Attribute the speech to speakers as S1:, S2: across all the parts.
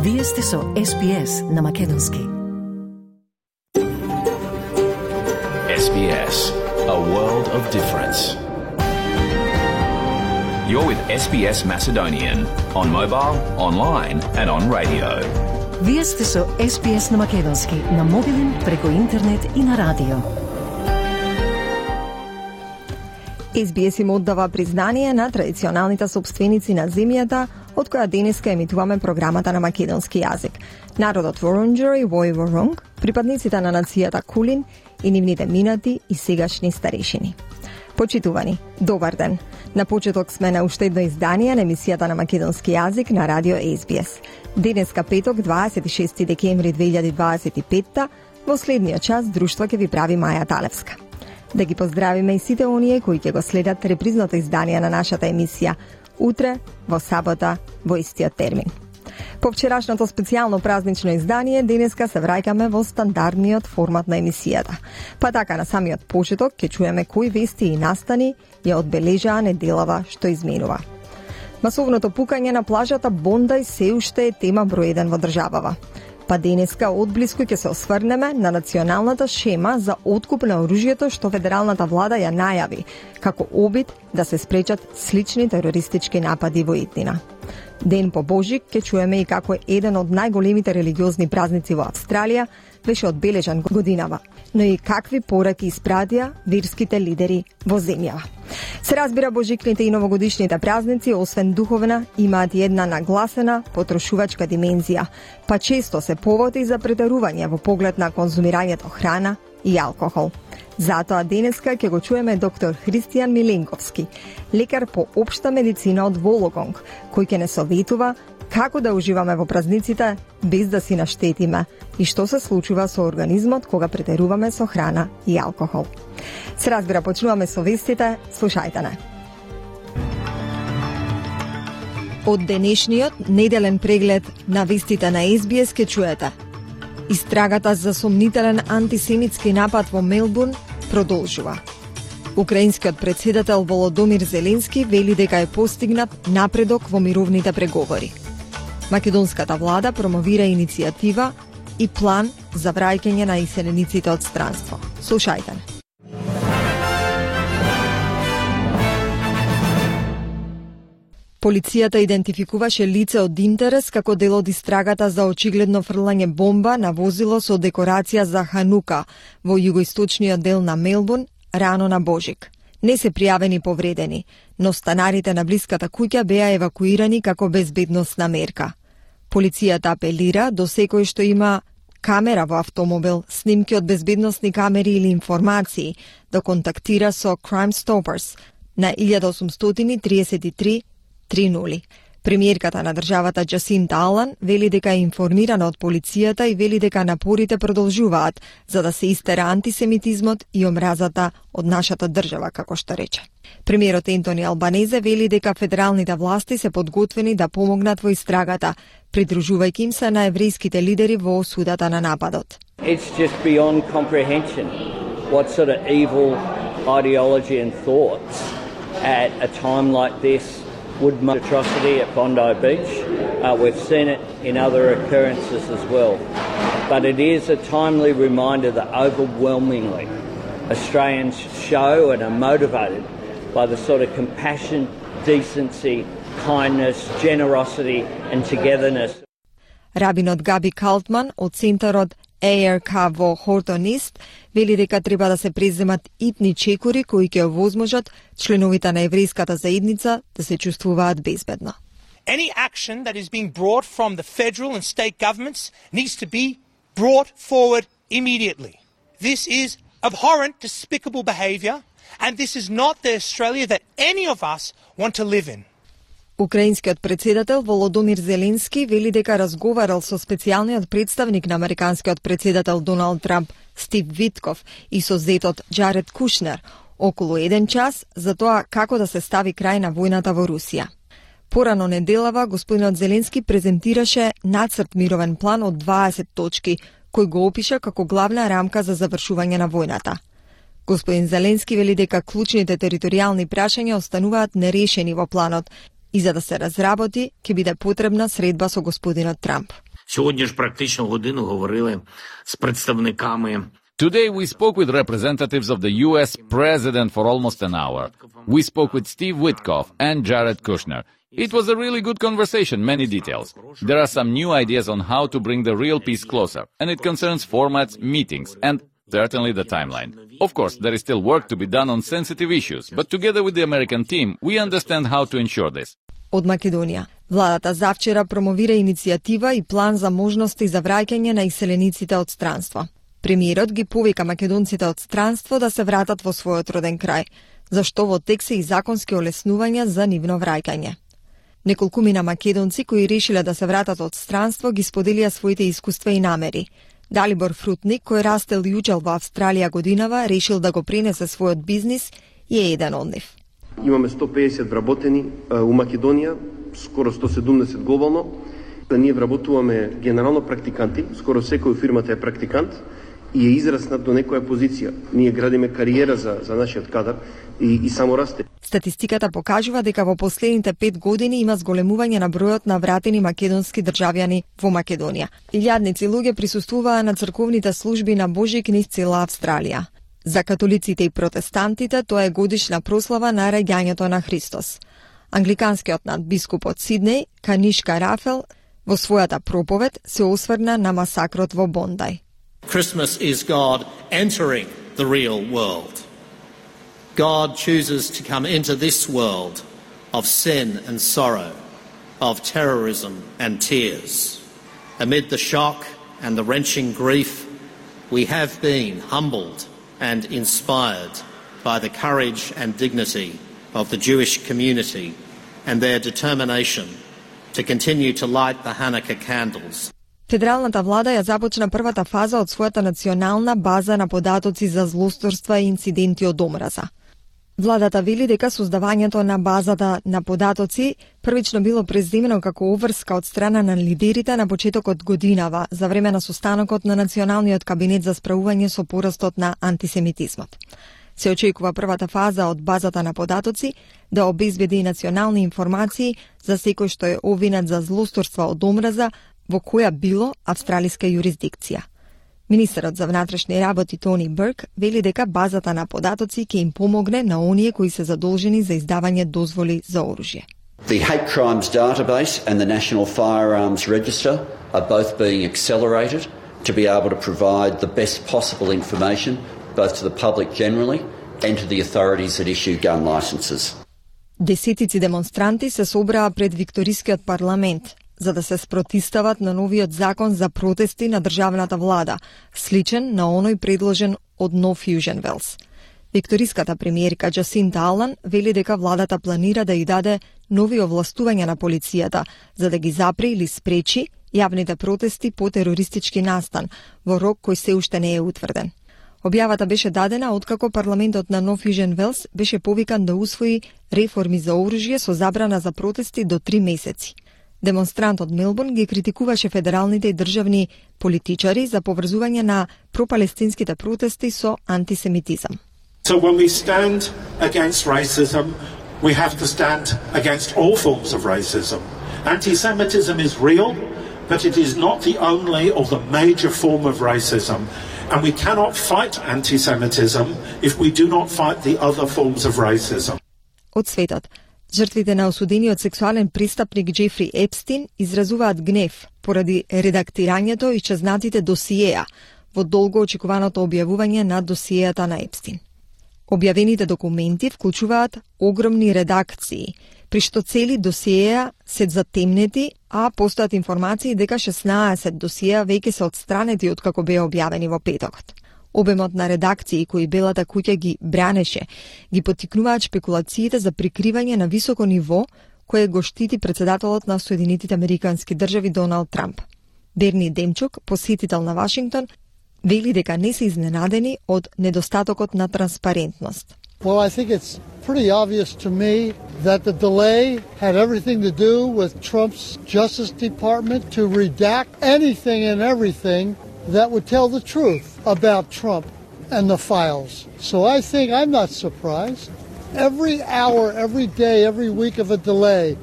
S1: Вие сте со SBS на Македонски.
S2: SBS, a world of difference. You're with SBS Macedonian on mobile, online and on radio.
S1: Вие сте со SBS на Македонски на мобилен, преку интернет и на радио.
S3: SBS им оддава признание на традиционалните собственици на земјата, од која денеска емитуваме програмата на македонски јазик. Народот Ворунџери Вој Ворунг, припадниците на нацијата Кулин и нивните минати и сегашни старешини. Почитувани, добар ден. На почеток сме на уште едно издание на емисијата на македонски јазик на радио SBS. Денеска петок, 26 декември 2025, во следниот час друштво ќе ви прави Маја Талевска. Да ги поздравиме и сите оние кои ќе го следат репризното издание на нашата емисија утре, во сабота, во истиот термин. По вчерашното специјално празнично издание, денеска се враќаме во стандардниот формат на емисијата. Па така на самиот почеток ќе чуеме кои вести и настани ја одбележаа неделава што изминува. Масовното пукање на плажата Бондај се уште е тема број 1 во државава. Па денеска одблиску ќе се осврнеме на националната шема за откуп на оружјето што федералната влада ја најави, како обид да се спречат слични терористички напади во иднина. Ден по Божик ќе чуеме и како еден од најголемите религиозни празници во Австралија беше одбележан годинава, но и какви пораки испратија верските лидери во земјава. Се разбира, божикните и новогодишните празници, освен духовна, имаат и една нагласена потрошувачка димензија, па често се повод и за претерување во поглед на конзумирањето храна и алкохол. Затоа денеска ќе го чуеме доктор Христијан Миленковски, лекар по општа медицина од Вологонг, кој ќе не советува како да уживаме во празниците без да си наштетиме и што се случува со организмот кога претеруваме со храна и алкохол. Се разбира, почнуваме со вестите, слушајте не. Од денешниот неделен преглед на вестите на SBS ќе чуете: истрагата за сомнителен антисемитски напад во Мелбурн продолжува. Украинскиот председател Володомир Зеленски вели дека е постигнат напредок во мировните преговори. Македонската влада промовира иницијатива и план за враќање на иселениците од странство. Слушајте. Полицијата идентификуваше лице од интерес како дел од истрагата за очигледно фрлање бомба на возило со декорација за Ханука во југоисточниот дел на Мелбурн рано на Божик. Не се пријавени повредени, но станарите на блиската куќа беа евакуирани како безбедносна мерка. Полицијата апелира до секој што има камера во автомобил, снимки од безбедносни камери или информации, да контактира со Crime Stoppers на 1833 30. Премиерката на државата Джасинта Алан вели дека е информирана од полицијата и вели дека напорите продолжуваат за да се истера антисемитизмот и омразата од нашата држава, како што рече. Премиерот Ентони Албанезе вели дека федералните власти се подготвени да помогнат во истрагата, придружувајќи им се на еврејските лидери во осудата на нападот.
S4: It's just beyond comprehension what sort of evil ideology and thoughts at a time like this would make atrocity at Bondi Beach. We've seen it in other occurrences as well. But it is a timely reminder that overwhelmingly Australians show and are motivated by the sort of compassion, decency, kindness, generosity and togetherness.
S3: Рабинот Габи Калтман од центарот ARK во Хортон Ист вели дека треба да се преземат итни чекори кои ќе овозможат членовите на еврејската заедница да се чувствуваат безбедно.
S5: Any action that is being brought from the federal and state governments needs to be brought forward immediately. This is abhorrent, despicable behaviour, and this is not the Australia that any of us want to live in.
S3: Украинскиот председател Володомир Зеленски вели дека разговарал со специјалниот представник на американскиот председател Доналд Трамп Стив Витков и со зетот Джаред Кушнер околу 1 час за тоа како да се стави крај на војната во Русија. Порано неделава господинот Зеленски презентираше нацрт мировен план од 20 точки, кој го опиша како главна рамка за завршување на војната. Господин Зеленски вели дека клучните територијални прашања остануваат нерешени во планот и за да се разработи ќе биде потребна средба со господинот Трамп.
S6: Сьогодні ж практично годину говорили з представниками.
S7: Today we spoke with representatives of the US president for almost an hour. We spoke with Steve Witkoff and Jared Kushner. It was a really good conversation, many details. There are some new ideas on how to bring the real peace closer, and it concerns formats, meetings, and certainly the timeline. Of course, there is still work to be done on sensitive issues, but together with the American team, we understand how to ensure this.
S3: Од Македонија, владата завчера промовира иницијатива и план за можности за враќање на иселениците од странство. Премиерот ги повика македонците од странство да се вратат во својот роден крај, зашто во тек се и законски олеснувања за нивно враќање. Неколкумина македонци кои решиле да се вратат од странство ги споделија своите искуства и намери. Далибор Фрутник, кој растел и учел во Австралија годинава, решил да го пренесе својот бизнис и е еден од нив.
S8: Имаме 150 вработени у Македонија, скоро 170 глобално. Ние вработуваме генерално практиканти, скоро секој фирмата е практикант и е израснат до некоја позиција. Ние градиме кариера за нашиот кадар и само расте.
S3: Статистиката покажува дека во последните 5 години има зголемување на бројот на вратени македонски државјани во Македонија. Илјадници луѓе присуствуваа на црковните служби на Божјик низ цела Австралија. За католиците и протестантите тоа е годишна прослава на раѓањето на Христос. Англиканскиот надбискуп од Сиднеј, Канишка Рафел, во својата проповед се осврна на масакрот во Бондај.
S9: Christmas is God entering the real world. God chooses to come into this world of sin and sorrow, of terrorism and tears. Amid the shock and the wrenching grief, we have been humbled and inspired by the courage and dignity of the Jewish community and their determination to continue to light the Hanukkah candles.
S3: Федералната влада ја започна првата фаза од својата национална база на податоци за злосторства и инциденти од омраза. Владата вели дека создавањето на базата на податоци првично било преземено како обврска од страна на лидерите на почетокот годинава за време на состанокот на Националниот кабинет за справување со порастот на антисемитизмот. Се очекува првата фаза од базата на податоци да обезбеди национални информации за секој што е обвинет за злосторства од омраза во која било австралиска юрисдикција. Министерот за внатрешни работи Тони Берк вели дека базата на податоци ќе им помогне на оние кои се задолжени за издавање дозволи за оружје.
S10: The Hate Crimes Database and the National Firearms Register are both being accelerated to be able to provide the best possible information both to the public generally and to the authorities that issue gun licenses.
S3: Десетици демонстранти се собраа пред Викторискиот парламент за да се спротистават на новиот закон за протести на државната влада, сличен на оној предложен од Нов Южен Велс. Викториската премиерка Джасинта Алан вели дека владата планира да ја даде нови овластувања на полицијата за да ги запре или спречи јавните протести по терористички настан во рок кој се уште не е утврден. Објавата беше дадена откако парламентот на Нов Южен Велс беше повикан да усвои реформи за оружје со забрана за протести до 3 месеци. Демонстрант од Мелбурн ги критикуваше федералните и државни политичари за поврзување на пропалестинските протести со антисемитизам.
S11: So when we stand against racism, we have to stand against all forms of racism. Anti-Semitism is real, but it is not the only or the major form of racism. And we cannot fight anti-Semitism if we do not fight the other forms of racism.
S3: Од светот, жртвите на осудениот сексуален престапник Джефри Епстин изразуваат гнев поради редактирањето и исчезнатите досиеа во долго очекуваното објавување на досиеата на Епстин. Објавените документи вклучуваат огромни редакции, при што цели досиеа се затемнети, а постојат информации дека 16 досиеа веќе се отстранети откако беа објавени во петокот. Обемот на редакции кои Белата куќа ги бранеше, ги поттикнуваат шпекулациите за прикривање на високо ниво кое го штити председателот на Соединетите Американски држави Доналд Трамп. Берни Демчук, посетител на Вашингтон, вели дека не се изненадени од недостатокот на транспарентност.
S12: Well, I think it's pretty obvious to me that the delay had everything to do with Trump's Justice Department to redact anything and everything that would tell the truth about Trump and the files. So I think I'm not surprised. Every hour, every day, every week of a delay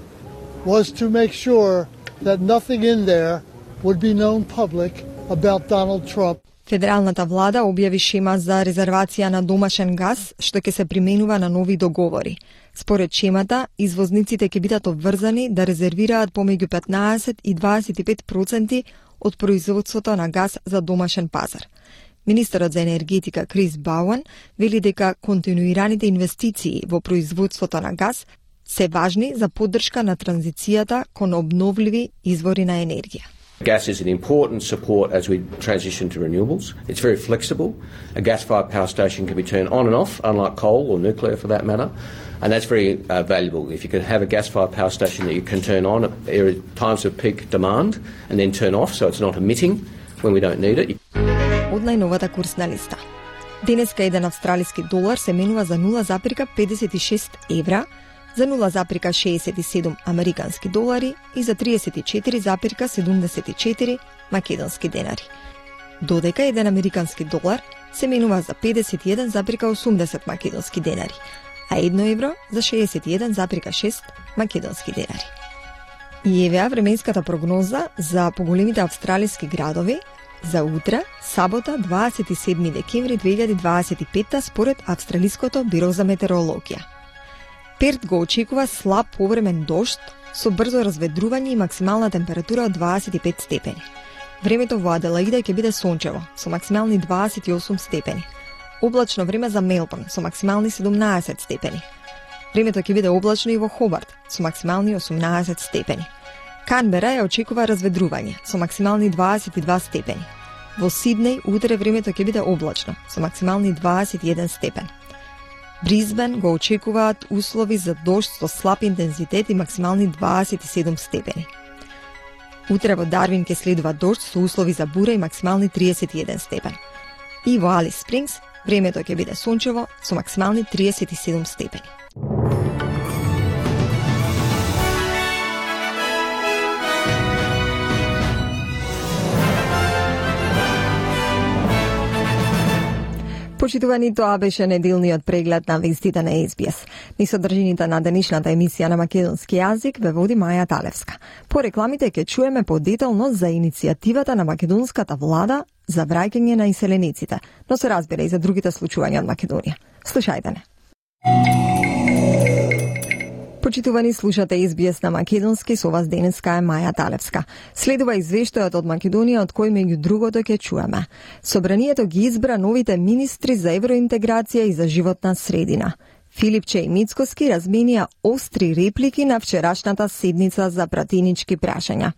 S12: was to make sure that nothing in there would be known public about Donald Trump.
S3: Федералната влада објави шема за резервација на домашен газ, што ќе се применува на нови договори. Според шемата, извозниците ќе бидат обврзани да резервираат помеѓу 15 и 25% од производството на газ за домашен пазар. Министерот за енергетика Крис Бауан вели дека континуираните инвестиции во производството на газ се важни за поддршка на транзицијата кон обновливи извори на енергија.
S13: Gas is an important support as we transition to renewables. It's very flexible. A gas-fired power station can be turned on and off, unlike coal or nuclear for that matter, and that's very valuable. If you can have a gas-fired power station that you can turn on at times of peak demand and then turn off so it's not emitting when we don't need it.
S3: Од најновата курсна листа. Денеска еден австралиски долар се менува за 0,56 евра, за 0,67 американски долари и за 34,74 македонски денари. Додека еден американски долар се менува за 51,80 македонски денари, а 1 евро за 61,6 македонски денари. И евеа временската прогноза за поголемите австралиски градови за утре, сабота, 27 декември 2025 според Австралиското биро за метеорологија. Перт го очекува слаб повремен дожд со брзо разведрување и максимална температура од 25 степени. Времето во Аделаида ќе биде сончево со максимални 28 степени. Облачно време за Мелбурн со максимални 17 степени. Времето ќе биде облачно и во Хобарт со максимални 18 степени. Канбера ја очекува разведрување со максимални 22 степени. Во Сиднеј утре времето ќе биде облачно со максимални 21 степен. Бризбен го очекуваат услови за дожд со слаб интензитет и максимални 27 степени. Утре во Дарвин ќе следува дожд со услови за бура и максимални 31 степен. И во Алис Спрингс времето ќе биде сончево со максимални 37 степени. Почитувани, тоа беше неделниот преглед на вестите на SBS. Ни содржините на денешната емисија на македонски јазик ве води Маја Талевска. По рекламите ќе чуеме подетално за иницијативата на македонската влада за враќање на иселениците, но се разбира и за другите случувања од Македонија. Слушајте не. Почитувани, слушате SBS на македонски, со вас денеска е Маја Талевска. Следува извештајот од Македонија, од кој меѓу другото ќе чуеме. Собранието ги избра новите министри за евроинтеграција и за животна средина. Филипче и Мицкоски разменија остри реплики на вчерашната седница за пратенички прашања.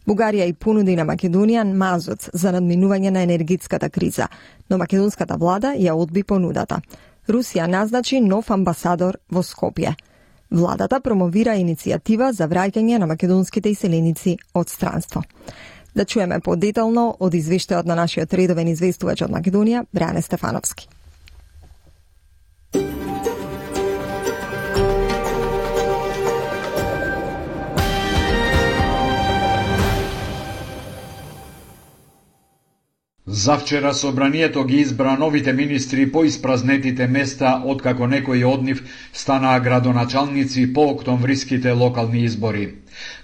S3: Бугарија и понуди на Македонија мазот за надминување на енергетската криза, но македонската влада ја одби понудата. Русија назначи нов амбасадор во Скопје. Владата промовира иницијатива за враќање на македонските иселеници од странство. Да чуеме подетално од извештајот на нашиот редовен известувач од Македонија, Бране Стефановски.
S14: Завчера собранието ги избра новите министри по испразнетите места откако некои од нив станаа градоначалници по октомвриските локални избори.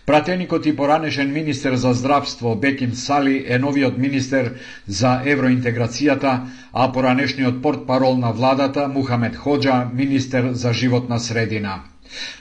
S14: Пратеникот и поранешен министер за здравство Беким Сали е новиот министер за евроинтеграцијата, а поранешниот портпарол на владата Мухамед Ходжа министер за животна средина.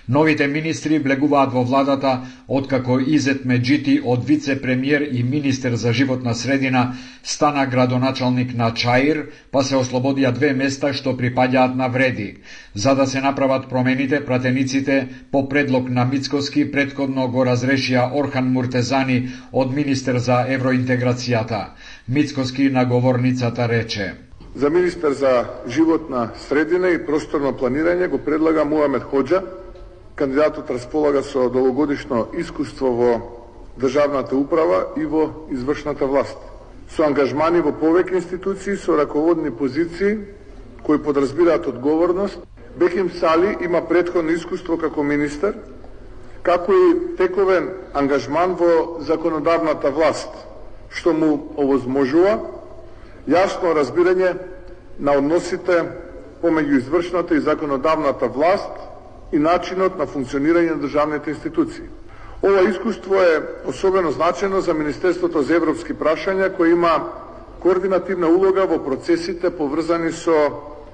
S14: Новите министри влегуваат во владата откако Изет Меджити од вице-премиер и министер за животна средина стана градоначалник на Чаир, па се ослободија 2 места што припаѓаат на Вреди. За да се направат промените, пратениците по предлог на Мицкоски претходно го разрешија Орхан Муртезани од министер за евроинтеграцијата. Мицкоски на говорницата рече:
S15: За министер за животна средина и просторно планирање го предлага Мухамед Ходжа. Кандидатот располага со долгогодишно искуство во државната управа и во извршната власт. Со ангажмани во повеќе институции со раководни позиции кои подразбираат одговорност, Беким Сали има претходно искуство како министер, како и тековен ангажман во законодавната власт, што му овозможува јасно разбирање на односите помеѓу извршната и законодавната власт и начинот на функционирање на државните институции. Ова искуство е особено значено за Министерството за европски прашања, кој има координативна улога во процесите поврзани со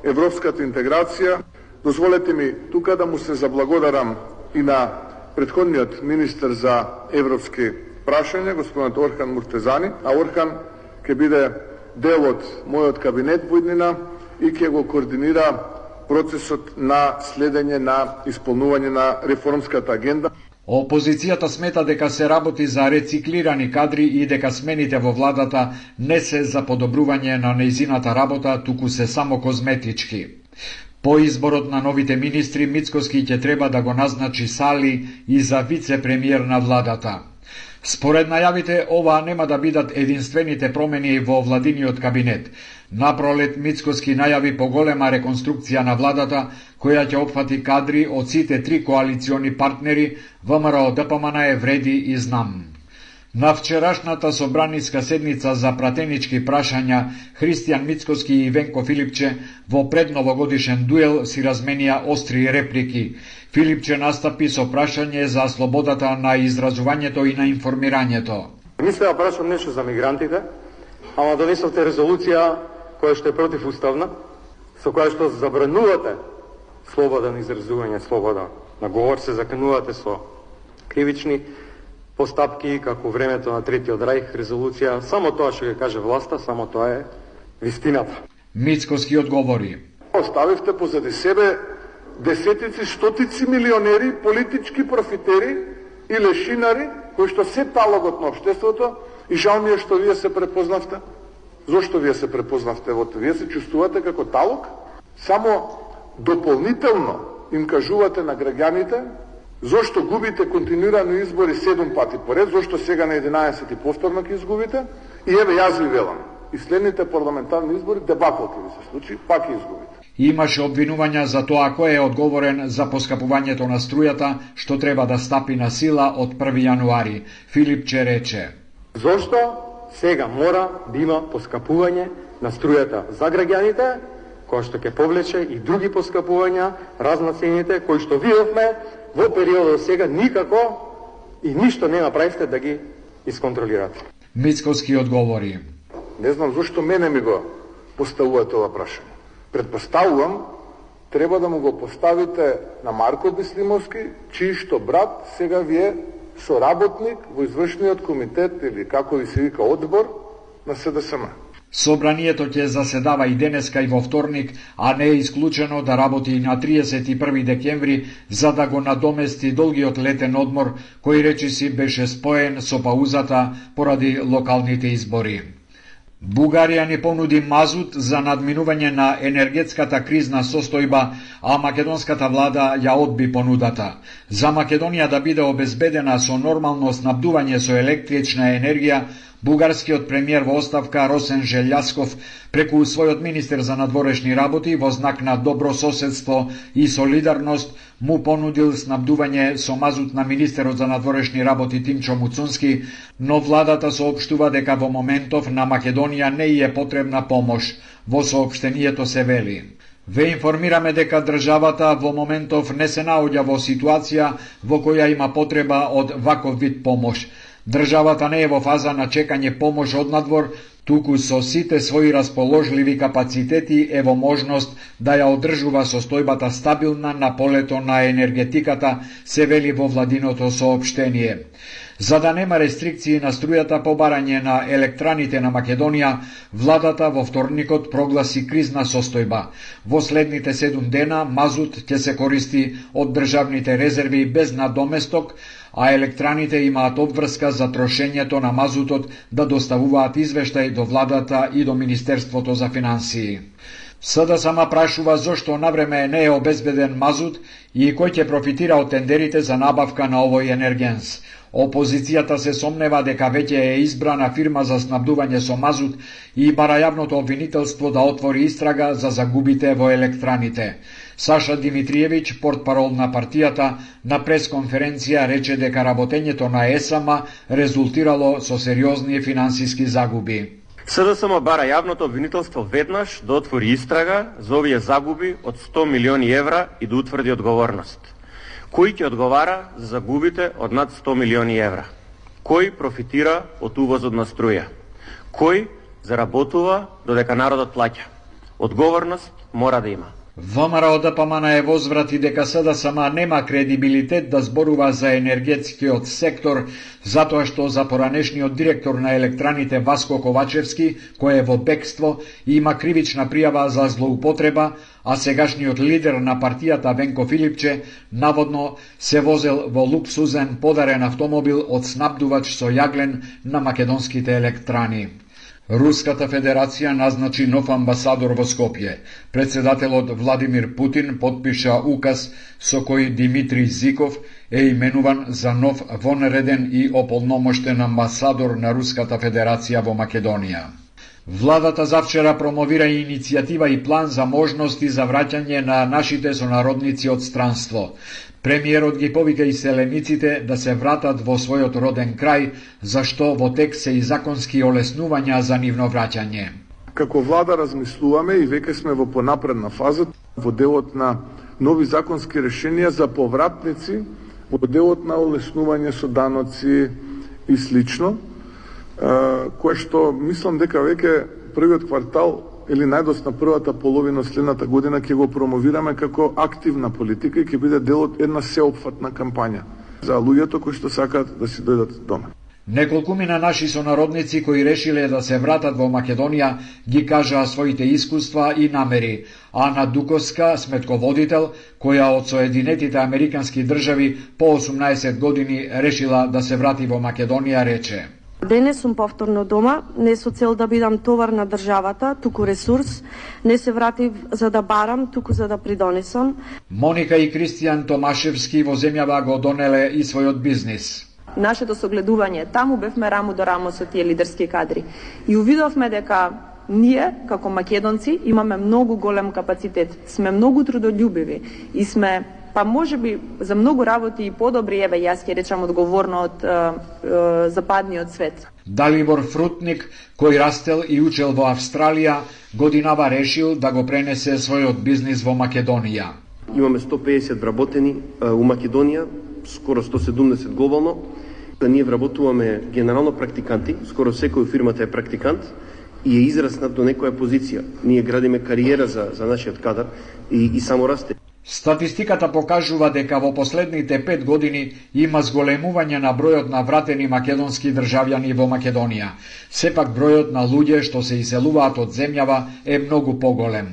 S15: европската интеграција. Дозволете ми тука да му се заблагодарам и на претходниот министер за европски прашања, господинот Орхан Муртезани, а Орхан ќе биде дел од мојот кабинет во иднина и ќе го координира процесот на следење на исполнување на реформската агенда.
S14: Опозицијата смета дека се работи за рециклирани кадри и дека смените во владата не се за подобрување на нејзината работа, туку се само козметички. По изборот на новите министри, Мицкоски ќе треба да го назначи Сали и за вице-премиер на владата. Според најавите, ова нема да бидат единствените промени во владиниот кабинет. Напролет Мицкоски најави поголема реконструкција на владата, која ќе опфати кадри од сите 3 коалициони партнери, ВМРО, ДПМН, Вреди и Знам. На вчерашната собраниска седница за пратенички прашања, Христијан Мицкоски и Венко Филипче во предновогодишен дуел си разменија остри реплики. Филипче настапи со прашање за слободата на изразувањето и на информирањето.
S16: Мислеа прашам нешто за мигрантите, ама донесовте резолуција која што е противуставна, со која што забранувате слобода на изразување, слобода на говор, се заканувате со кривични постапки, како времето на Третиот рајх, резолуција, само тоа што ќе каже власта, само тоа е вистината.
S14: Мицкоски одговори.
S15: Оставивте позади себе десетици, стотици милионери, политички профитери и лешинари, кои што се талогот на општеството, и жал ми е што вие се препознавте. Зошто вие се препознавте во тоа? Вие се чувствувате како талог? Само дополнително им кажувате на граѓаните зошто губите континуирано избори 7 пати поред, зошто сега на 11 повторно ќе изгубите, и еве јас ви велам, и следните парламентарни избори дебакл ќе ви се случи, пак ќе изгубите.
S14: Имаше обвинувања за тоа кој е одговорен за поскапувањето на струјата, што треба да стапи на сила од 1 јануари. Филипче рече:
S16: Зошто сега мора да има поскапување на струјата за граѓаните, кој што ќе повлече и други поскапувања, разнацените, кои што видовме во периодот сега никако и ништо не направивте да ги исконтролирате.
S14: Мицкоски одговори:
S15: Не знам зошто мене ми го поставувате ова прашање. Предпоставувам, треба да му го поставите на Марко Беслимовски, чиј што брат сега ви е соработник во извршниот комитет или како ви се вика одбор на СДСМ.
S14: Собранието ќе заседава и денеска и во вторник, а не е исклучено да работи и на 31 декември за да го надомести долгиот летен одмор кој речиси беше споен со паузата поради локалните избори. Бугарија ни понуди мазут за надминување на енергетската кризна состојба, а македонската влада ја одби понудата. За Македонија да биде обезбедена со нормално снабдување со електрична енергија, бугарскиот премиер во оставка Росен Желјасков преку својот министер за надворешни работи во знак на добро соседство и солидарност му понудил снабдување со мазут на министерот за надворешни работи Тимчо Муцунски, но владата соопштува дека во моментов на Македонија не е потребна помош. Во соопштението се вели: Ве информираме дека државата во моментов не се наоѓа во ситуација во која има потреба од ваков вид помош. Државата не е во фаза на чекање помош од надвор, туку со сите своји расположливи капацитети е во можност да ја одржува состојбата стабилна на полето на енергетиката, се вели во владиното соопштение. За да нема рестрикции на струјата по барање на електраните на Македонија, владата во вторникот прогласи кризна состојба. Во следните 7 дена мазут ќе се користи од државните резерви без надоместок, а електраните имаат обврска за трошењето на мазутот да доставуваат извештај до владата и до Министерството за финансии. СДСМ прашува зошто навреме не е обезбеден мазут и кој ќе профитира од тендерите за набавка на овој енергенс. Опозицијата се сомнева дека веќе е избрана фирма за снабдување со мазут и бара јавното обвинителство да отвори истрага за загубите во електраните. Саша Димитриевиќ, портпарол на партијата, на пресконференција рече дека работењето на ЕСАМ резултирало со сериозни финансиски загуби.
S16: СДСМ бара јавното обвинителство веднаш да отвори истрага за овие загуби од 100 милиони евра и да утврди одговорност.
S17: Кој ќе одговара за загубите од над 100 милиони евра? Кој профитира од увозот на струја? Кој заработува додека народот плаќа? Одговорност мора да има.
S14: ВМРО ДПМН е возврати дека СДСМ нема кредибилитет да зборува за енергетскиот сектор, затоа што за поранешниот директор на електраните Васко Ковачевски, кој е во бегство, има кривична пријава за злоупотреба, а сегашниот лидер на партијата Венко Филипче наводно се возел во луксузен подарен автомобил од снабдувач со јаглен на македонските електрани. Руската Федерација назначи нов амбасадор во Скопје. Председателот Владимир Путин подпиша указ со кој Димитри Зиков е именуван за нов вонреден и ополномоштен амбасадор на Руската Федерација во Македонија. Владата завчера промовира иницијатива и план за можности за враќање на нашите сонародници од странство. Премиерот ги повика иселениците да се вратат во својот роден крај, зашто во тек се и законски олеснувања за нивно враќање.
S15: Како влада размислуваме и веќе сме во понапредна фаза во делот на нови законски решенија за повратници, во делот на олеснување со даноци и слично, кое што мислам дека веќе првиот квартал или најдосна првата половина следната година ќе го промовираме како активна политика и ќе биде дел од една сеопфатна кампања за луѓето кои што сакаат да си дојдат дома.
S14: Неколкумина наши сонародници кои решиле да се вратат во Македонија ги кажаа своите искуства и намери. Ана Дуковска, сметководител, која од Соединетите Американски држави по 18 години решила да се врати во Македонија, рече:
S18: Денес сум повторно дома, не со цел да бидам товар на државата, туку ресурс, не се вратив за да барам, туку за да придонесам.
S14: Моника и Кристијан Томашевски во земјава го донеле и својот бизнис.
S19: Нашето согледување, таму бевме рамо до рамо со тие лидерски кадри. И увидовме дека ние, како македонци, имаме многу голем капацитет, сме многу трудолюбиви и сме, па може би за многу работи и подобри, еве јас ќе речам одговорно од западниот свет.
S14: Далибор Фрутник, кој растел и учел во Австралија, годинава решил да го пренесе својот бизнис во Македонија.
S8: Имаме 150 вработени у Македонија, скоро 170 глобално. Ние вработуваме генерално практиканти, скоро секој фирмата е практикант и е израснат до некоја позиција. Ние градиме кариера за нашиот кадар и само расте.
S14: Статистиката покажува дека во последните 5 години има зголемување на бројот на вратени македонски државјани во Македонија. Сепак бројот на луѓе што се иселуваат од земјава е многу поголем.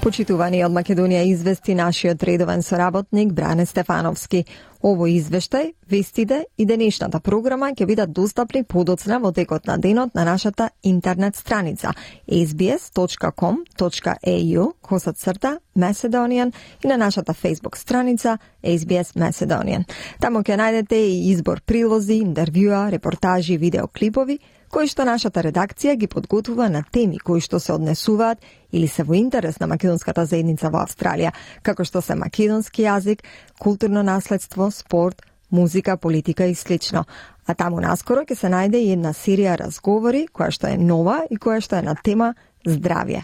S3: Почитувани од Македонија извести нашиот редовен соработник Бране Стефановски. Овој извештај, вестите и денешната програма ќе бидат достапни подоцна во текот на денот на нашата интернет страница sbs.com.au/Macedonian и на нашата Facebook страница SBS Macedonian. Таму ќе најдете и избор прилози, интервјуа, репортажи, видеоклипови кои што нашата редакција ги подготвува на теми кои што се однесуваат или се во интерес на македонската заедница во Австралија, како што се македонски јазик, културно наследство, спорт, музика, политика и слично. А таму наскоро ќе се најде и една серија разговори, која што е нова и која што е на тема здравје.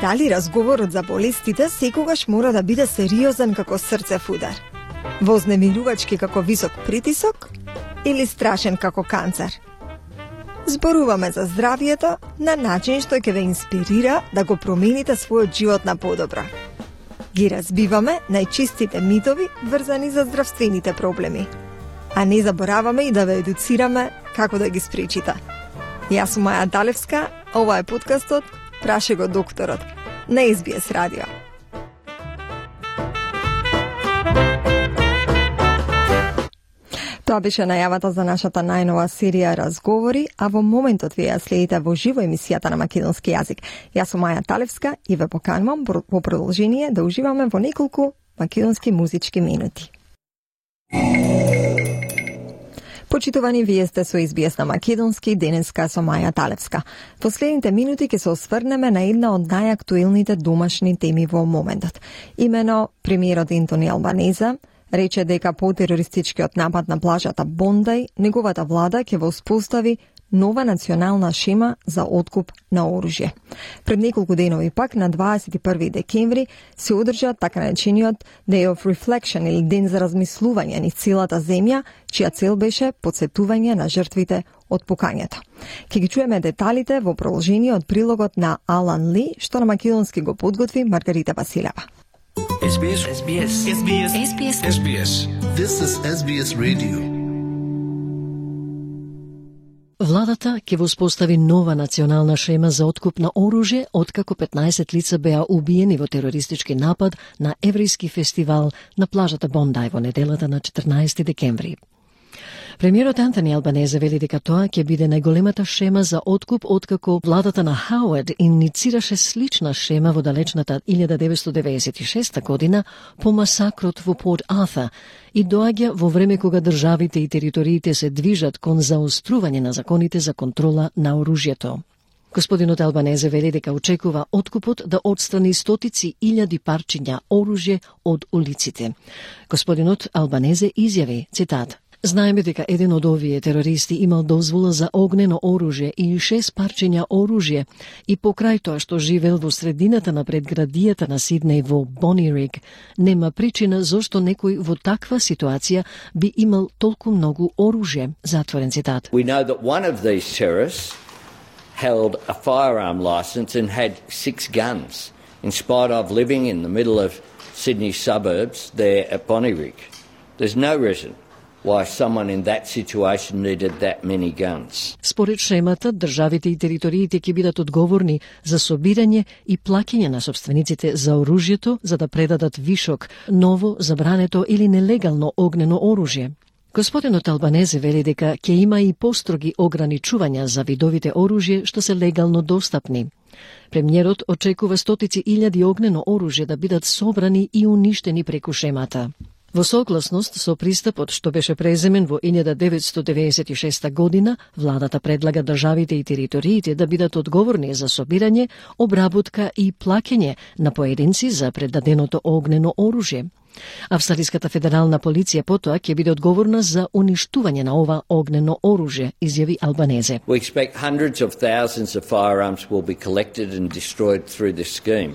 S3: Дали разговорот за болестите секогаш мора да биде сериозен како срцев удар? Вознемирувачки како висок притисок? Или страшен како канцер? Зборуваме за здравјето на начин што ќе ве инспирира да го промените својот живот на подобро. Ги разбиваме најчистите митови врзани за здравствените проблеми. А не забораваме и да ве едуцираме како да ги спречите. Јас сум Маја Талевска, ова е подкастот Праше го докторот на SBS радио. Тоа беше најавата за нашата најнова серија разговори, а во моментот ви ја следите во живо емисијата на македонски јазик. Јас сум Маја Талевска и ве поканувам во продолжение да уживаме во неколку македонски музички минути. Почитувани, вие сте со SBS на македонски, денеска со Маја Талевска. Последните минути ќе се осврнеме на една од најактуелните домашни теми во моментот. Имено премиерот Ентони Албанезе рече дека по терористичкиот напад на плажата Бондај, неговата влада ќе воспостави нова национална шема за откуп на оружје. Пред неколку денови пак, на 21 декември, се одржа така наречениот Day of Reflection или ден за размислување низ целата земја, чија цел беше потсетување на жртвите од пукањето. Ке ги чуеме деталите во продолжение од прилогот на Алан Ли, што на македонски го подготви Маргарита Василева.
S20: SBS. SBS. SBS. SBS. SBS. This is SBS Radio.
S21: Владата ќе воспостави нова национална шема за откуп на оружје, откако 15 лица беа убиени во терористички напад на еврејски фестивал на плажата Бондај во неделата на 14 декември. Премиерот Антони Албанезе вели дека тоа ќе биде најголемата шема за откуп откако владата на Хауард иницираше слична шема во далечната 1996 година по масакрот во Порт Артур и доаѓа во време кога државите и териториите се движат кон заострување на законите за контрола на оружјето. Господинот Албанезе вели дека очекува откупот да отстрани стотици илјади парчиња оружје од улиците. Господинот Албанезе изјави, цитат: "Знаеме дека еден од овие терористи имал дозвола за огнено оружје и 6 парчиња оружје и покрај тоа што живел во средината на предградијата на Сиднеј во Бонириг, нема причина зошто некој во таква ситуација би имал толку многу оружје." Затворен цитат.
S4: We know that one of these terrorists held a firearm license and had 6 guns, in spite of living in the middle of Sydney suburbs there at Bonnyrigg. There's no reason why someone in that situation needed that many guns.
S21: Според шемата, државите и териториите ќе бидат одговорни за собирање и плаќање на собствениците за оружјето за да предадат вишок, ново, забрането или нелегално огнено оружје. Господинот Албанезе вели дека ќе има и построги ограничувања за видовите оружје што се легално достапни. Премиерот очекува стотици илјади огнено оружје да бидат собрани и уништени преку шемата. Во согласност со пристапот што беше преземен во 1996 година, владата предлага државите и териториите да бидат одговорни за собирање, обработка и плаќање на поединци за предаденото огнено оружје. Австралиската федерална полиција потоа ќе биде одговорна за уништување на ова огнено оружје, изјави Албанезе.
S4: We expect hundreds of thousands of firearms will be collected and destroyed through this scheme.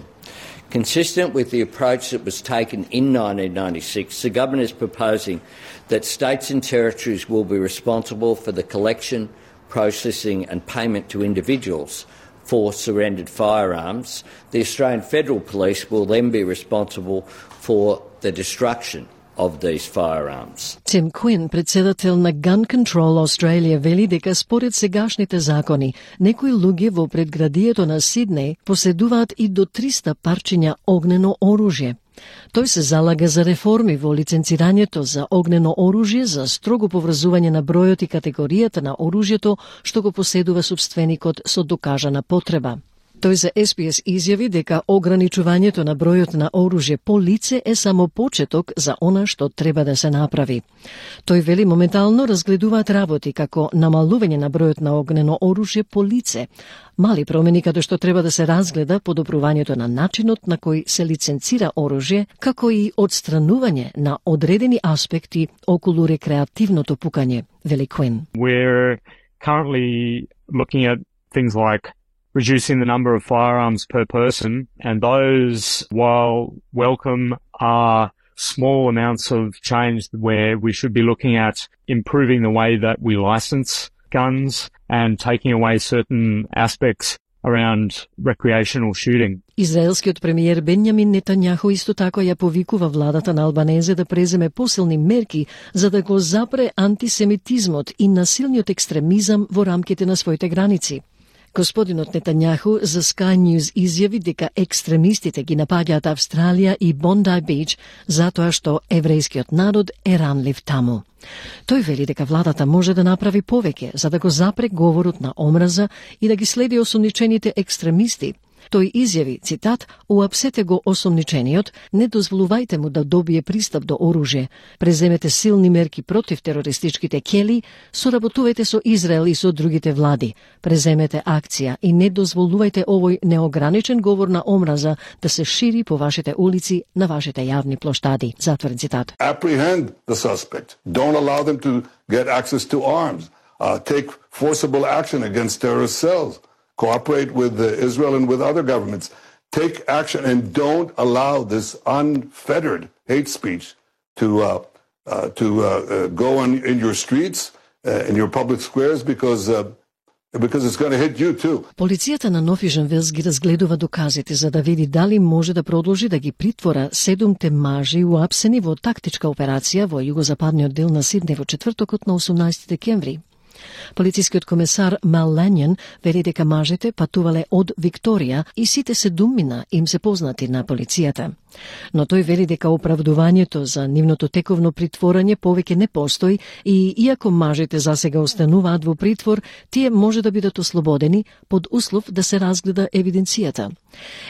S4: Consistent with the approach that was taken in 1996, the government is proposing that states and territories will be responsible for the collection, processing and payment to individuals for surrendered firearms. The Australian Federal Police will then be responsible for the destruction of these firearms.
S21: Tim Quinn, председател на Gun Control Australia, вели дека според сегашните закони, некои луѓе во предградието на Сиднеј поседуваат и до 300 парчиња огнено оружје. Тој се залага за реформи во лиценцирањето за огнено оружје, за строго поврзување на бројот и категоријата на оружјето што го поседува собственикот со докажана потреба. Тој за SBS изјави дека ограничувањето на бројот на оружје по лице е само почеток за она што треба да се направи. Тој вели моментално разгледуваат работи како намалување на бројот на огнено оружје по лице, мали промени каде што треба да се разгледа подобрувањето на начинот на кој се лиценцира оружје, како и одстранување на одредени аспекти околу рекреативното пукање, вели Quinn.
S22: We're currently looking at things like reducing the number of firearms per person, and those, while welcome, are small amounts of change where we should be looking at improving the way that we license guns and taking away certain aspects around recreational shooting.
S21: Израелскиот премиер Бенјамин Нетањаху исто така ја повикува владата на Албанезе да преземе посилни мерки за да го запре антисемитизмот и насилниот екстремизам во рамките на своите граници. Господинот Нетањаху за Sky News изјави дека екстремистите ги напаѓаат Австралија и Бондај Бич затоа што еврејскиот народ е ранлив таму. Тој вели дека владата може да направи повеќе за да го запре говорот на омраза и да ги следи осомничените екстремисти. Тој изјави, цитат: "Уапсете го осомничениот, не дозволувајте му да добие пристап до оружје, преземете силни мерки против терористичките кели, соработувајте со Израел и со другите влади, преземете акција и не дозволувајте овој неограничен говор на омраза да се шири по вашите улици, на вашите јавни плоштади." Затворен цитат.
S23: Apprehend the suspect. Don't allow them to get access to arms.
S1: take forcible action against terrorist cells, cooperate with Israel and with other governments. Take action and don't allow this unfettered hate speech to go on in your streets, in your public squares, because it's going to hit you too.
S21: Полицијата на Нофижен Велс ги разгледува доказите за да види дали може да продолжи да ги притвора 7 мажи уапсени во тактичка операција во југозападниот дел на Сиднеј во четвртокот на 18 декември. Полицискиот комесар Мел Лањон вели дека мажите патувале од Викторија и сите 7 им се познати на полицијата. Но тој вели дека оправдувањето за нивното тековно притворање повеќе не постои и иако мажите засега остануваат во притвор, тие може да бидат ослободени под услов да се разгледа евиденцијата.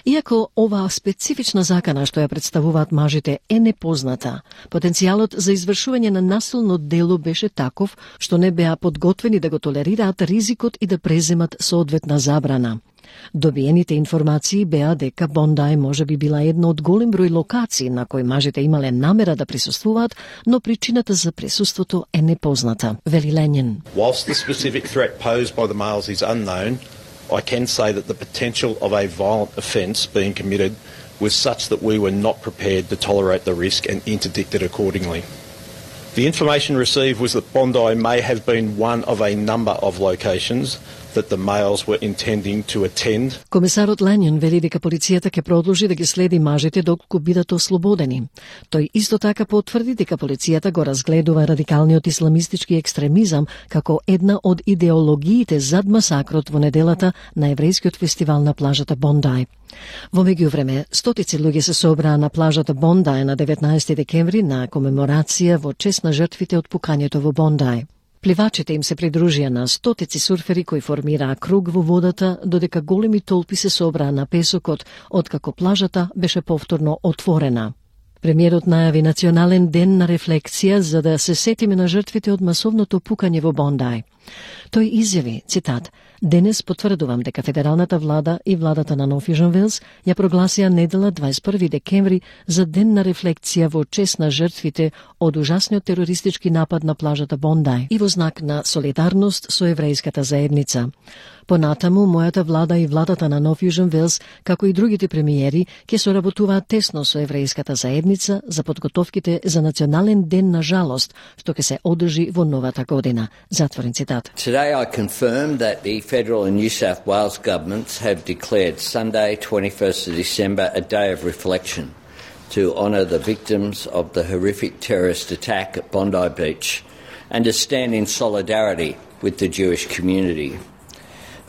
S21: Иако оваа специфична закана што ја представуваат мажите е непозната, потенцијалот за извршување на насилно дело беше таков што не беа подготвени да го толерираат ризикот и да преземат соодветна забрана. Добиените информации беа дека Бондај може би била една од голем број локации на кои мажите имале намера да присуствуваат, но причината за присуството е непозната, вели Лањон.
S2: Whilst the specific threat posed by the males is unknown, I can say that the potential of a violent offence being committed was such that we were not prepared to tolerate the risk and interdicted accordingly. The information received was that Bondi may have been one of a number of locations that the males were intending to attend.
S21: Комесарот Лањон вели дека полицијата ќе продолжи да ги следи мажите доколку бидат ослободени. Тој исто така потврди дека полицијата го разгледува радикалниот исламистички екстремизам како една од идеологиите зад масакрот во неделата на еврејскиот фестивал на плажата Бондај. Во меѓувреме, стотици луѓе се собраа на плажата Бондај на 19 декември на комеморација во чест на жртвите од пукањето во Бондај. Пливачите им се придружија на стотици сурфери кои формираа круг во водата, додека големи толпи се собраа на песокот, откако плажата беше повторно отворена. Премиерот најави национален ден на рефлексија за да се сетиме на жртвите од масовното пукање во Бондај. Тој изјави, цитат, "Денес потврдувам дека федералната влада и владата на Нофижен Велс ја прогласија недела 21 декември за ден на рефлексија во чест на жртвите од ужасниот терористички напад на плажата Бондај и во знак на солидарност со еврејската заедница. Понатаму, мојата влада и владата на Нофижен Велс, како и другите премиери, ќе соработуваат тесно со еврејската заедница за подготовките за национален ден на жалост, што ќе се одржи во новата година." Затворен цитат.
S4: Today I confirm that the federal and New South Wales governments have declared Sunday, 21st of December, a day of reflection to honour the victims of the horrific terrorist attack at Bondi Beach and to stand in solidarity with the Jewish community.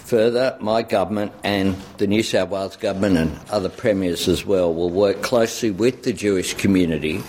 S4: Further, my government and the New South Wales government and other premiers as well will work closely with the Jewish community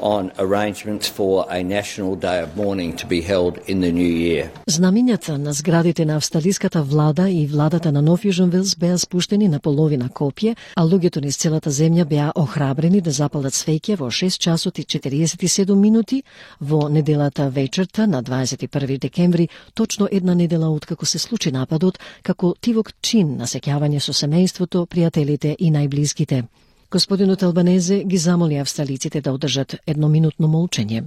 S4: on arrangements for a national day of mourning to be held in the new year.
S21: Знамињата на зградите на австралиската влада и владата на Нофижен Велс беа спуштени на половина копје, а луѓето низ целата земја беа охрабрени да запалат свеќе во 6 часот и 47 минути во неделата вечерта на 21 декември, точно една недела откако се случи нападот, како тивок чин на сеќавање со семејството, пријателите и најблиските. Господинот Албанезе ги замоли австралиците да одржат едноминутно молчење.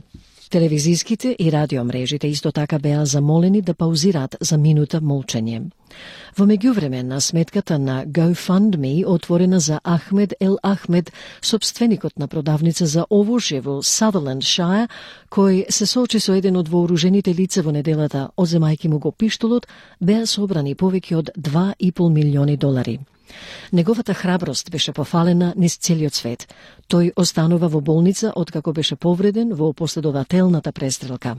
S21: Телевизиските и радиомрежите исто така беа замолени да паузираат за минута молчење. Во меѓувреме, на сметката на GoFundMe, отворена за Ахмед Ел Ахмед, собственикот на продавница за овошје во Сатерленд Шајр, кој се соочи со еден од вооружените лица во неделата, одземајќи му го пиштолот, беа собрани повеќе од $2,5 милиони. Неговата храброст беше пофалена низ целиот свет. Тој останува во болница откако беше повреден во последователната престрелка.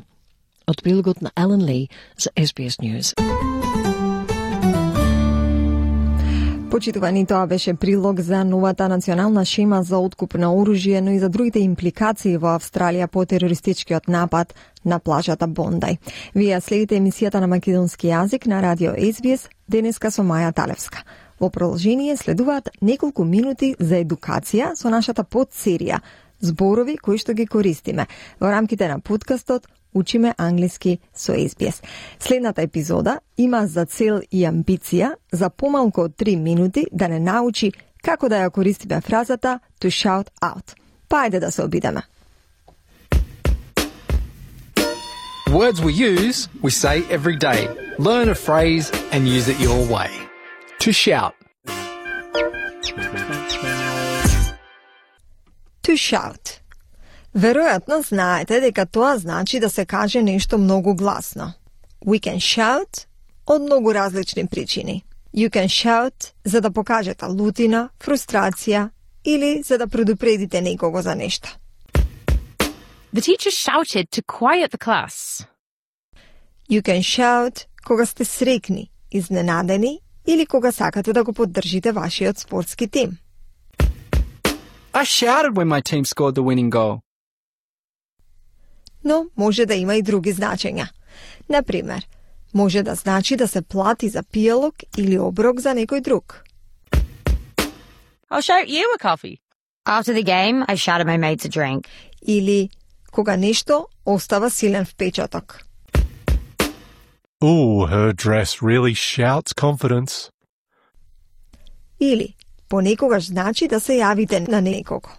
S21: Од прилогот на Алан Ли за SBS News.
S3: Почитувани, тоа беше прилог за новата национална шема за откуп на оружје, но и за другите импликации во Австралија по терористичкиот напад на плажата Бондај. Вие следите емисијата на македонски јазик на радио SBS, денеска со Маја Талевска. Во продолжение следуваат неколку минути за едукација со нашата подсерија зборови кои што ги користиме во рамките на подкастот Учиме англиски со SBS. Следната епизода има за цел и амбиција за помалку од 3 минути да не научи како да ја користиме фразата to shout out. Па ајде да се обидеме.
S5: words we use, we say every day. Learn a phrase and use it your way. To shout.
S3: To shout. Веројатно знаете дека тоа значи да се каже нешто многу гласно. We can shout од многу различни причини. You can shout за да покажете лутина, фрустрација или за да предупредите некого за нешто.
S6: The teacher shouted to quiet the class.
S3: You can shout кога сте срекни, изненадени или кога сакате да го поддржите вашиот спортски тим.
S5: I shouted when my team scored the winning goal.
S3: Но може да има и други значења. Например, може да значи да се плати за пијалок или оброк за некој друг.
S6: I'll shout you a coffee.
S23: After the game, I shouted my mates a drink.
S3: Или кога нешто остава силен впечаток.
S24: Ooh, her dress really shouts confidence.
S3: Или понекогаш значи да се јавите на некого.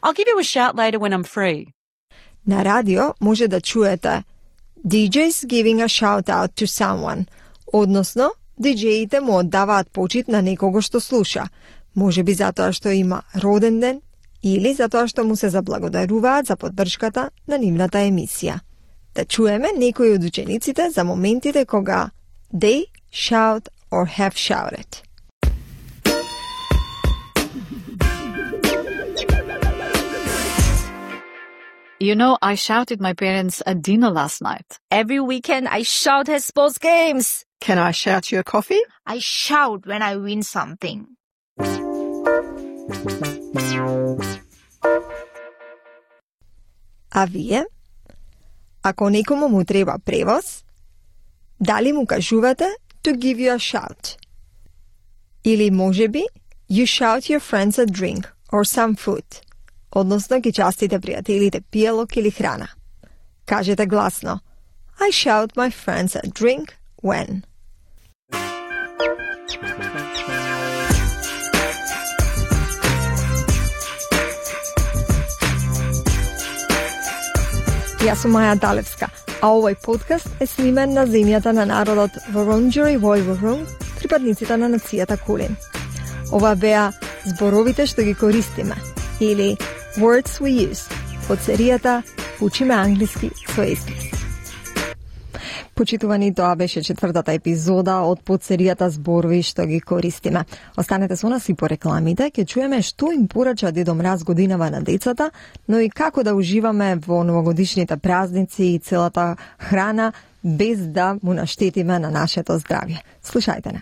S6: I'll give you a shout later when I'm free.
S3: На радио може да чуете DJs giving a shout out to someone, односно диџеите му оддаваат почит на некого што слуша, можеби затоа што има роден ден или затоа што му се заблагодаруваат за поддршката на нивната емисија. Да чуеме некои од учениците за моментите кога they shout or have shouted.
S25: You know, I shouted my parents at dinner last night.
S23: Every weekend, I shout at sports games.
S26: Can I shout you a coffee?
S23: I shout when I win something.
S3: А вие? Ако некому му треба превоз, дали му кажувате to give you a shout? Или можеби you shout your friends a drink or some food, односно ги частите пријателите пијалок или храна. Кажете гласно I shout my friends a drink when. Јас сум Маја Далевска, а овој подкаст е снимен на земјата на народот Wurundjeri Woi-wurrung, припадниците на нацијата Кулин. Ова беа зборовите што ги користиме, или Words we use, од серијата Учиме англиски со SBS. Почитувани, тоа беше 4-та епизода од подсеријата зборови што ги користиме. Останете со нас и по рекламите, ќе чуеме што им порача Дедо Мраз годинава на децата, но и како да уживаме во новогодишните празници и целата храна без да му наштетиме на нашето здравје. Слушајте не.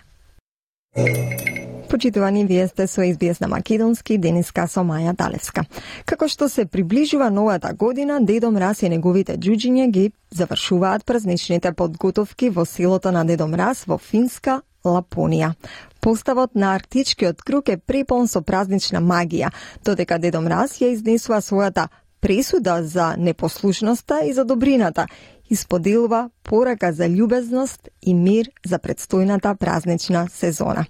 S3: Почитувани, вие сте со SBS на македонски, денеска со Маја Далевска. Како што се приближува новата година, Дедо Мраз и неговите џуџиња ги завршуваат празничните подготовки во селото на Дедо Мраз во финска Лапонија. Поставот на арктичкиот круг е препон со празнична магија, додека Дедо Мраз ја изнесува својата пресуда за непослушноста и за добрината, и споделува порака за љубезност и мир за предстојната празнична сезона.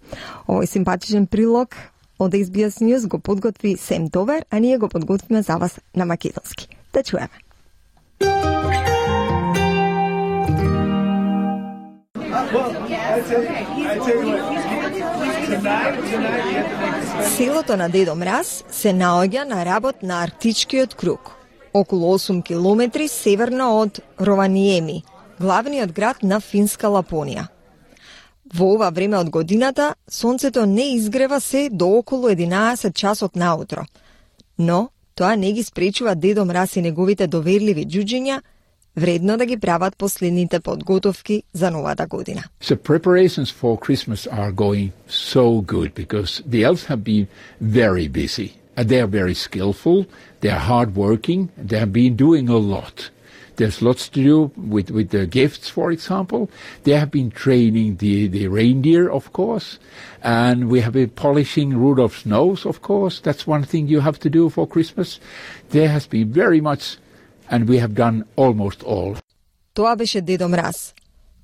S3: Овој симпатичен прилог од SBS News го подготви Сем Довер, а ние го подготвиме за вас на македонски. Да чуеме. Селото на Дедо Мраз се наоѓа на работ на арктичкиот круг, околу 8 километри северно од Рованиеми, главниот град на финска Лапонија. Во ова време од годината, сонцето не изгрева се до околу 11 часот наутро, но тоа не ги спречува Дедо Мраз и неговите доверливи џуџиња вредно да ги прават последните подготовки за новата година.
S27: So preparations for Christmas are going so good because the elves have been very busy. They are very skillful, they are hard-working, they have been doing a lot. There's lots to do with the gifts, for example. They have been training the reindeer, of course, and we have been polishing Rudolph's nose, of course. That's one thing you have to do for Christmas. There has been very much, and we have done almost all.
S3: Тоа беше Дедо Мраз,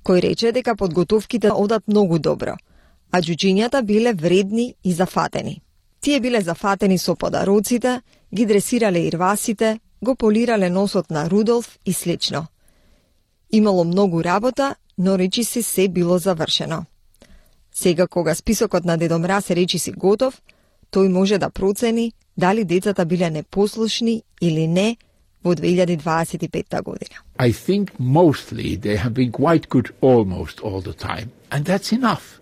S3: кој рече дека подготовките одат многу добро, а џуџињата биле вредни и зафатени. Тие биле зафатени со подароците, ги дресирале ирвасите, го полирале носот на Рудолф и слично. Имало многу работа, но речиси се било завршено. Сега кога списокот на Дедо Мраз е речиси готов, тој може да процени дали децата биле непослушни или не во 2025 година.
S27: I think mostly they have been quite good almost all the time, and that's enough.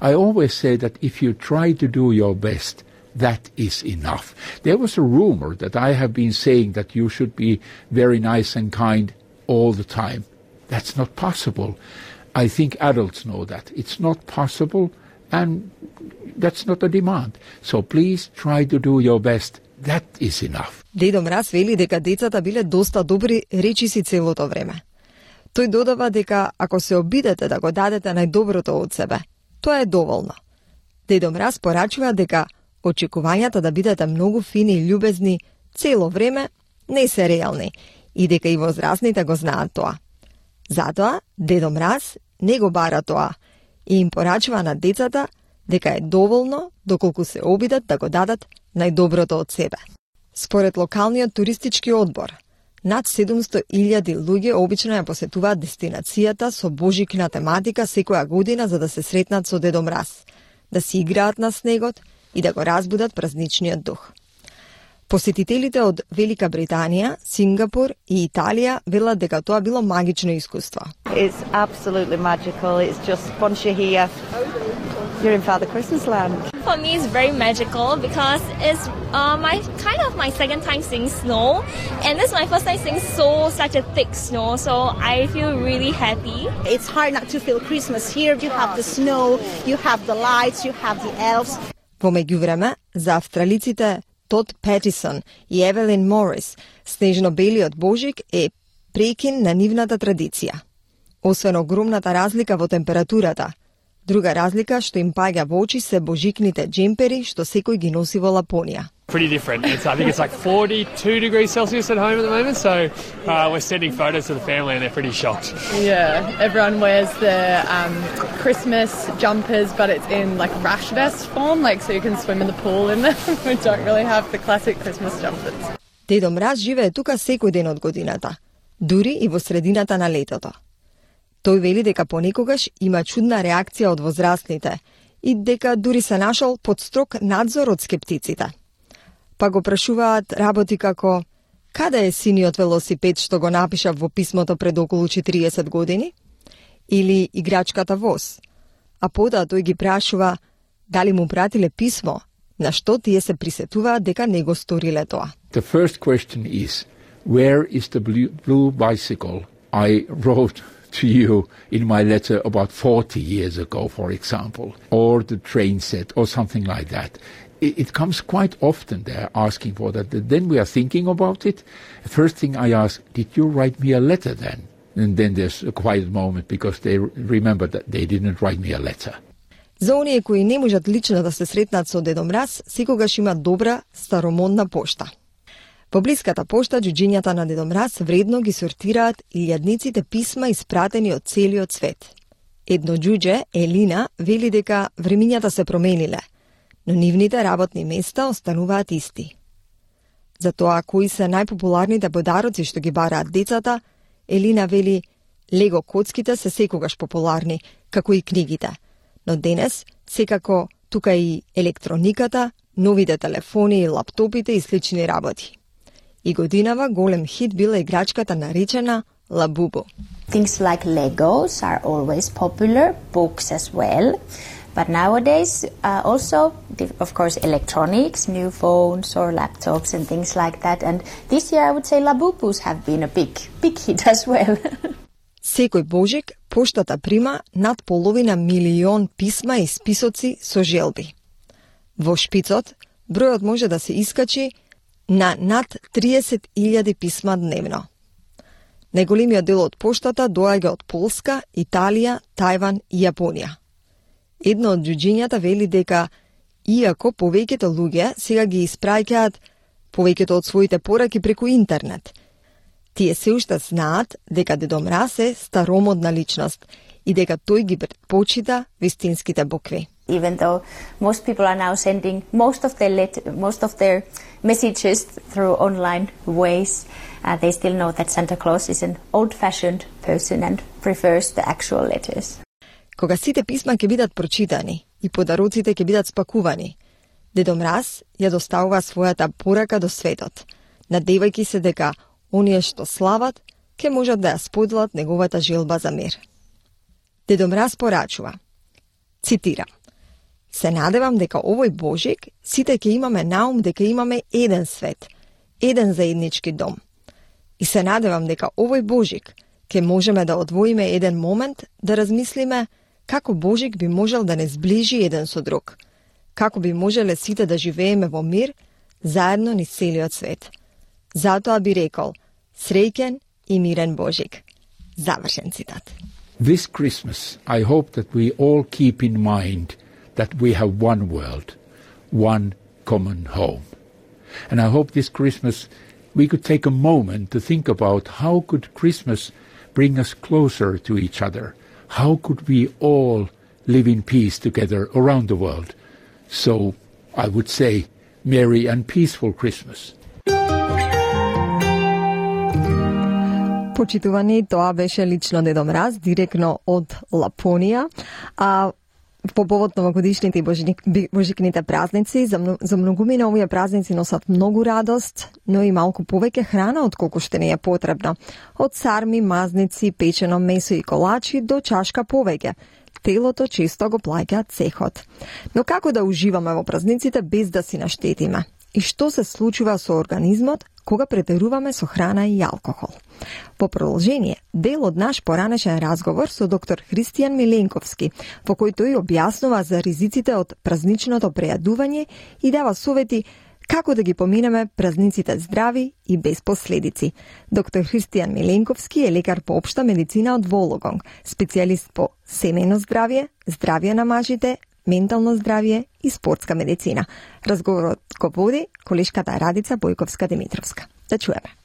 S27: I always say that if you try to do your best, that is enough. There was a rumor that I have been saying that you should be very nice and kind all the time. That's not possible. I think adults know that. It's not possible, and that's not a demand. So please try to do your best. That is enough.
S3: Дедо Мраз вели дека децата биле доста добри речиси целото време. Тој додава дека ако се обидете да го дадете најдоброто од себе, тоа е доволно. Дедо Мраз порачува дека очекувањата да бидете многу фини и љубезни цело време не се реални и дека и возрастните го знаат тоа. Затоа Дедо Мраз не го бара тоа и им порачува на децата дека е доволно доколку се обидат да го дадат најдоброто од себе. Според локалниот туристички одбор, над 700.000 луѓе обично ја посетуваат дестинацијата со божикна тематика секоја година за да се сретнат со Дедо Мраз, да си играат на снегот и да го разбудат празничниот дух. Посетителите од Велика Британија, Сингапур и Италија велат дека тоа било магично искуство.
S7: It's absolutely magical. It's just once you're here, you're in Father Christmas land.
S9: For me, it's very magical because it's my second time seeing snow, and this is my first time seeing such a thick snow. So I feel really happy.
S10: It's hard not to feel Christmas here. You have the snow, you have the lights, you have the elves.
S3: Во меѓувреме, за австралиците Тод Петисон и Евелин Морис, снежно-белиот Божик е прекин на нивната традиција. Освен огромната разлика во температурата, друга разлика што им паѓа во очи се божикните джемпери што секој ги носи во Лапонија.
S11: Pretty different. I think it's like 42 degrees Celsius at home at the moment, so we're sending photos to the family and they're pretty shocked.
S12: Yeah, everyone wears the Christmas jumpers, but it's in like rash vest form, like so you can swim in the pool in them. We don't really have the classic Christmas jumpers.
S3: Дедо Мраз живее тука секој ден од годината, дури и во средината на летото. Тој вели дека понекогаш има чудна реакција од возрастните и дека дури се нашол под строг надзор од скептиците. Па го прашуваат работи како каде е синиот велосипед што го напишав во писмото пред околу 40 години? Или играчката воз? А потоа тој ги прашува дали му пратиле писмо, на што тие се присетуваат дека не го сториле тоа.
S27: The first question is, where is the blue bicycle I wrote to you in my letter about 40 years ago, for example, or the train set, or something like that. It comes quite often they're asking for that. Then we are thinking about it. The first thing I ask, did you write me a letter then? And then there's a quiet moment because they remember that they didn't write me a letter.
S3: За оние кои не можат лично да се сретнат со Дедо Мраз, секогаш има добра старомодна пошта. Во блиската пошта, џуџињата на Дедо Мраз вредно ги сортираат илјадниците писма испратени од целиот свет. Едно џуџе, Елина, вели дека времињата се промениле, но нивните работни места остануваат исти. За тоа кои се најпопуларните подароци што ги бараат децата, Елина вели лего коцките се секогаш популарни, како и книгите, но денес секако тука и електрониката, новите телефони и лаптопите и слични работи. И годинава голем хит била играчката наречена Лабубу.
S13: Things like Legos are always popular, books as well. But nowadays, also, of course, electronics, new phones or laptops and things like that. And this year, I would say Labubus have been a big hit as well.
S3: Секој Божик, поштата прима над половина милион писма и списоци со желби. Во шпицот, бројот може да се искачи на над 30.000 писма дневно. Најголемиот дел од поштата доаѓа од Полска, Италија, Тајван и Јапонија. Едно од џуџињата вели дека, иако повеќето луѓе сега ги испраќаат повеќето од своите пораки преку интернет, тие се уште знаат дека Дедо Мраз е старомодна личност и дека тој ги предпочита вистинските букви.
S13: Even though most people are now sending most of their messages through online ways, they still know that Santa Claus is an old-fashioned person and prefers the actual letters.
S3: Кога сите писма ќе бидат прочитани и подароците ќе бидат спакувани, Дедо Мраз ја доставува својата порака до светот, надевајќи се дека оние што слават ќе можат да ја споделат неговата желба за мир. Дедо Мраз порачува, цитирам: "Се надевам дека овој Божик сите ќе имаме наум дека имаме еден свет, еден заеднички дом. И се надевам дека овој Божик ќе можеме да одвоиме еден момент да размислиме како Божик би можел да не сближи еден со друг, како би можеле сите да живееме во мир заедно низ целиот свет. Затоа би рекол, среќен и мирен Божик." Завршен цитат.
S27: This Christmas, I hope that we all keep in mind that we have one world, one common home. And I hope this Christmas we could take a moment to think about how could Christmas bring us closer to each other. How could we all live in peace together around the world? So I would say, Merry and Peaceful Christmas.
S3: Почитувани, тоа беше лично Дедо Мраз, директно од Лапонија. По повод новогодишните и божикните празници, за многумина овие празници носат многу радост, но и малку повеќе храна отколку што не е потребно. Од сарми, мазници, печено месо и колачи до чашка повеќе. Телото често го плаќа цехот. Но како да уживаме во празниците без да си наштетиме? И што се случува со организмот кога претеруваме со храна и алкохол? По продолжение, дел од наш поранешен разговор со доктор Христијан Миленковски, во кој тој објаснува за ризиците од празничното прејадување и дава совети како да ги поминеме празниците здрави и без последици. Доктор Христијан Миленковски е лекар по општа медицина од Вологонг, специјалист по семејно здравје, здравје на мажите, ментално здравје и спортска медицина. Разговорот го води колешката Радица Бојковска-Димитровска. Да чуеме.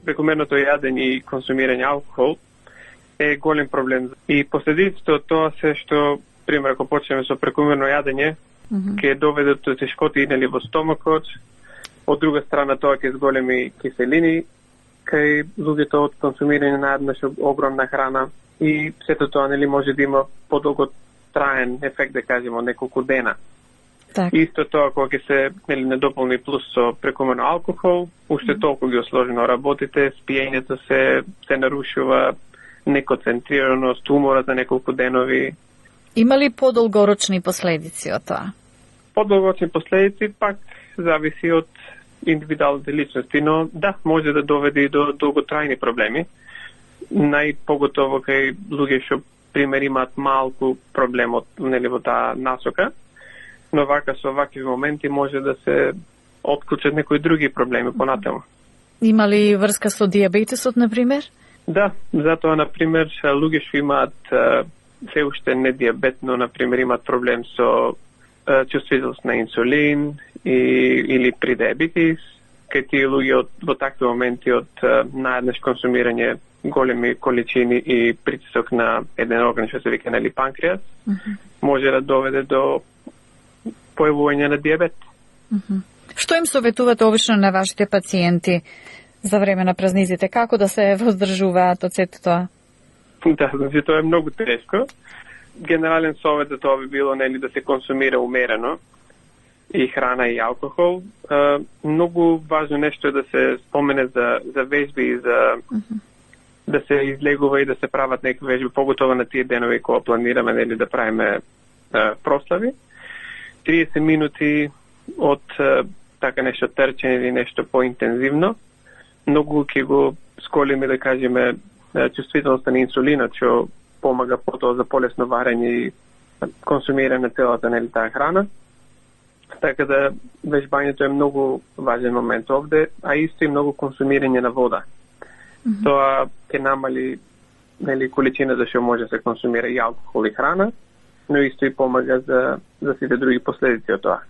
S8: Прекомерното јадење и консумирање алкохол е голем проблем. И последиците од тоа се што, пример, ако почнеме со прекомерно јадење, ќе доведе до тешкоти нели во стомакот. Од друга страна тоа ќе зголеми киселини кај луѓето од консумирање на еднаш огромна храна. И сето тоа нели може да има подолготраен ефект, да кажеме, од неколку дена.
S25: Так.
S8: Исто тоа кога ќе се нели недополни плюс со прекомерно алкохол, уште толку ги осложнено работите, спиењето се нарушува, неконцентрираност, уморот на неколку денови.
S25: Има ли подолгорочни последици од тоа?
S8: Подолгорочни последици пак зависи од индивидуалните личности, но да, може да доведе и до долготрајни проблеми. Најпоготово кај луѓе што пример имаат малку проблем од нели во таа насока, но вака со вакви моменти може да се отклучат некои други проблеми понатаму.
S25: Има ли врска со дијабетесот, например?
S8: Да, затоа, например, луѓе што имаат се уште не дијабет, но, например, имаат проблем со чувствителност на инсулин или при диабетис, кај тие луѓе во такви моменти од наеднаш консумирање големи количини и притисок на еден орган што се вика нели панкреас, може да доведе до појавување на дијабет.
S25: Што им советувате обично на вашите пациенти за време на празниците? Како да се воздржуваат од сето тоа?
S8: Да, значи тоа е многу тешко. Генерален совет за тоа би било нели да се консумира умерено и храна и алкохол. Многу важно нешто е да се спомене за вежби и за да се излегува и да се прават некои вежби, поготово на тие денови кога планираме нели да правиме прослави. 30 минути од така нешто трчење или нешто поинтензивно. Многу ќе го сколиме, да кажеме, чувствителноста на инсулинот, што помага потоа за полесно варење и консумирање на целата нели таа храна. Така да вежбањето е многу важен момент овде, а исто и многу консумирање на вода. Тоа ќе намали нели количината што може да се консумира и алкохол и храна, но исто и помага за сите други последици од тоа.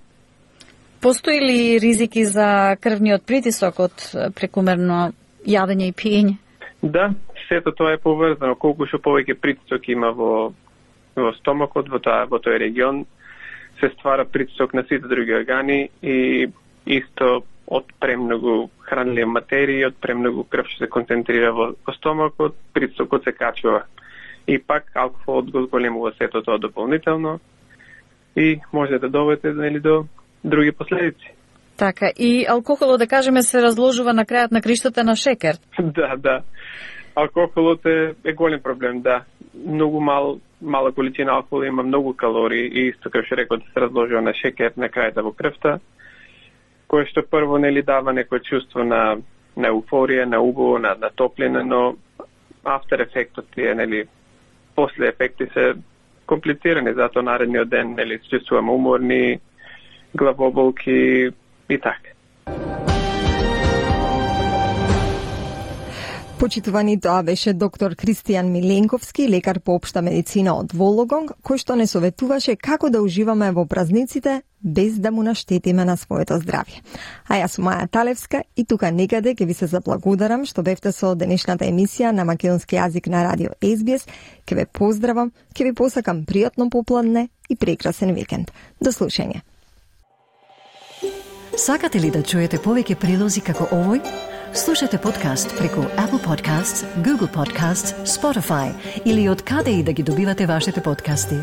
S25: Постои ли ризики за крвниот притисок од прекумерно јадење и пиење?
S8: Да, сето тоа е поврзано. Колку што повеќе притисок има во стомакот, во тој регион, се ствара притисок на сите други органи и исто од премногу хранливи материи, од премногу крв што се концентрира во стомакот, притисокот се качува. И пак алкохолот го зголемува сето тоа дополнително и може да доведе до други последици.
S25: Така, и алкохолот, да кажеме, се разложува на крајот на криштата на шекер.
S8: Да. Алкохолот е голем проблем, да. Многу мала количина алкохол има многу калории и исто како што реков, да се разложува на шекер на крајата во крвта, кое што прво дава некој чувство на еуфорија, на убаво, на топлина, но after ефектот тие, после ефекти се комплицирани, затоа наредниот ден се чувствуваме уморни, главоболки и така.
S3: Почитувани, тоа беше доктор Кристијан Миленковски, лекар по општа медицина од Вологонг, кој што не советуваше како да уживаме во празниците без да му наштетиме на своето здравје. А јас сум Маја Талевска и тука некаде ќе ви се заблагодарам што бевте со денешната емисија на македонски јазик на радио SBS. Ќе ве поздравам, ќе ви посакам пријатно попладне и прекрасен викенд. До слушање.
S21: Сакате ли да чуете повеќе прилози како овој? Слушате подкаст преку Apple Podcasts, Google Podcasts, Spotify или од каде и да ги добивате вашите подкасти.